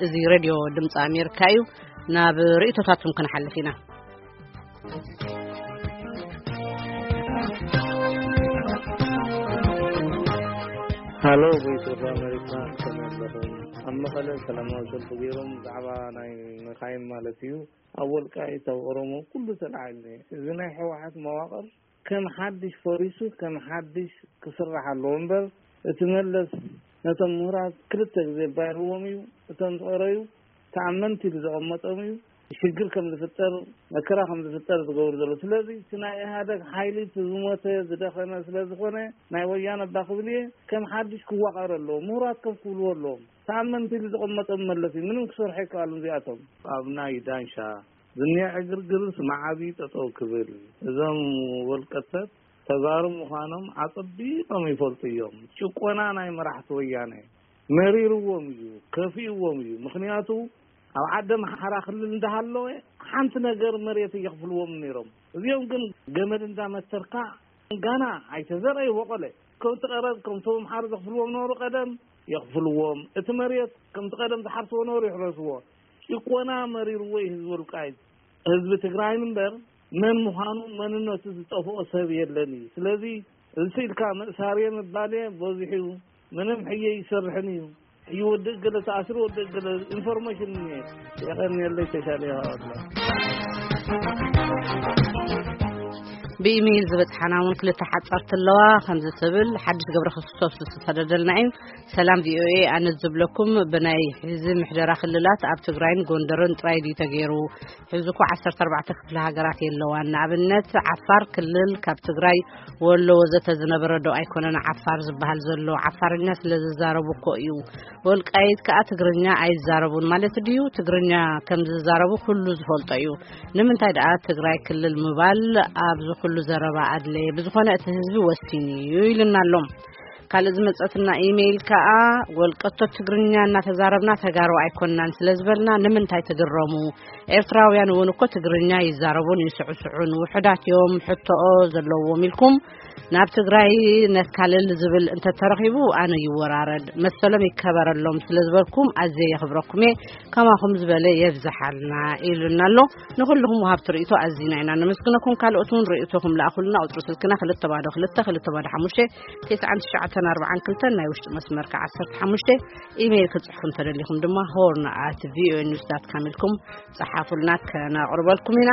እዚ ሬድዮ ድምፂ ኣሜሪካ እዩ። ናብ ርእይቶታትኩም ክንሓልፍ ኢና። ሃሎ፣ ቮይስ ኦፍ ኣሜሪካ፣ ከመይ ኣለኹም? ኣብ መቐለ ሰላማዊ ሰልፊ ገይሮም ብዛዕባ ናይ መኻይን ማለት እዩ፣ ኣብ ወልቃይት፣ ኣብ ኦሮሞ ኩሉ ተላዒልኒ። እዚ ናይ ህወሓት መዋቕር ከም ሓድሽ ፈሪሱ ከም ሓድሽ ክስራሕ ኣለዎ እምበር፣ እቲ መለስ ነቶም ምሁራት ክልተ ግዜ ባይርዎም እዩ። እቶም ዝቐረዩ ተኣመንቲ ኢሉ ዘቐመጦም እዩ። ሽግር ከም ዝፍጠር፣ መከራ ከም ዝፍጠር ዝገብሩ ዘሎ። ስለዚ እቲ ናይ ኢህኣደግ ሓይሊ እቲ ዝሞተ ዝደኸመ ስለ ዝኾነ፣ ናይ ወያነ እባ ክብል እየ፣ ከም ሓድሽ ክዋቐር ኣለዎ። ምሁራት ከም ክብልዎ ኣለዎም። ተኣመንቲ ኢሉ ዘቐመጦም መለስ እዩ። ምንም ክሰርሑ ኣይከኣሉን እዚኣቶም። ኣብ ናይ ዳንሻ ዝኒአ ዕግርግርስ መዓቢ ጠጠው ክብል፣ እዞም ወልቀሰብ ተጋሩ ምዃኖም ኣጸቢቖም ይፈልጡ እዮም። ጭቆና ናይ መራሕቲ ወያነ መሪርዎም እዩ፣ ከፊእዎም እዩ። ምኽንያቱ ኣብ ዓዲ ኣምሓራ ክልል እንዳሃለወ ሓንቲ ነገር መሬት እየኽፍልዎም ነይሮም። እዚኦም ግን ገመድ እንዳመተርካ ጋና ኣይተዘርአ ይቦቐለ። ከምቲ ቀረብ ከምቶም ኣምሓሩ ዘኽፍልዎም ነበሩ ቀደም የኽፍልዎም። እቲ መሬት ከምቲ ቀደም ዝሓርስዎ ነበሩ ይሕረስዎ። ጭቆና መሪርዎ እዩ ህዝቢ ወልቃይት። ህዝቢ ትግራይን እምበር መን ምዃኑ መንነቱ ዝጠፍኦ ሰብ የለን እዩ። ስለዚ እዚ ኢልካ መእሳርየ ምባልየ በዚሑ እዩ። ምንም ሕየ ይሰርሕን እዩ። ሕዩ ወዲ እገለ ተኣስሩ፣ ወዲ እገለ ኢንፎርሜሽን እየ። የቐንየለይ ተሻለ ይሃወላ። ብኢሜይል ዝበጽሓና እውን ክልተ ሓጻርቲ ኣለዋ። ከምዚ ትብል ሓድሽ ገብረ ክርስቶስ ዝተሰደደልና እዩ። ሰላም ቪኦኤ፣ ኣነ ዝብለኩም ብናይ ሕዚ ምሕደራ ክልላት ኣብ ትግራይን ጎንደርን ጥራይ ድዩ ተገይሩ? ሕዚ እኮ ዓሰርተ ኣርባዕተ ክፍለ ሃገራት የለዋን። ንኣብነት ዓፋር ክልል ካብ ትግራይ፣ ወሎ ወዘተ ዝነበረ ዶ ኣይኮነን ዓፋር ዝበሃል ዘሎ? ዓፋርኛ ስለ ዝዛረቡ እኮ እዩ። ወልቃይት ከኣ ትግርኛ ኣይዛረቡን ማለት ድዩ? ትግርኛ ከም ዝዛረቡ ኩሉ ዝፈልጦ እዩ። ንምንታይ ደኣ ትግራይ ክልል ምባል ኣብዚ ኩሉ ዘረባ ኣድለየ? ብዝኾነ እቲ ህዝቢ ወሲኑ እዩ ኢልና ኣሎ። ካልእ ዝመጸትና ኢሜይል ከኣ፣ ወልቀቶ ትግርኛ እናተዛረብና ተጋሩ ኣይኮንናን ስለ ዝበልና ንምንታይ ትግረሙ? ኤርትራውያን እውን እኮ ትግርኛ ይዛረቡን ይስዕስዑን፣ ውሑዳት እዮም ሕቶኦ ዘለዎም ኢልኩም ናብ ትግራይ ነካልል ዝብል እንተተረኺቡ ኣነ ይወራረድ፣ መሰሎም ይከበረሎም ስለ ዝበልኩም ኣዝየ የኽብረኩም እየ። ከማኹም ዝበለ የብዝሓልና ኢሉና ኣሎ። ንኹልኹም ወሃብቲ ርእይቶ ኣዚና ኢና ነመስግነኩም። ካልኦት እውን ርእይቶኹም ለኣኹልና። ቁጽሪ ስልክና ክልተ ባዶ ክልተ ክልተ ባዶ ሓሙሽተ ትስዓን ትሽዓተን ኣርባዓን ክልተን፣ ናይ ውሽጢ መስመር ከኣ ዓሰርተ ሓሙሽተ። ኢሜይል ክትጽሕፉ እንተደሊኹም ድማ ሆርን ኣት ቪኦኤ ኒውስ ዳት ካም ኢልኩም ጸሓፉልና፣ ከነቕርበልኩም ኢና።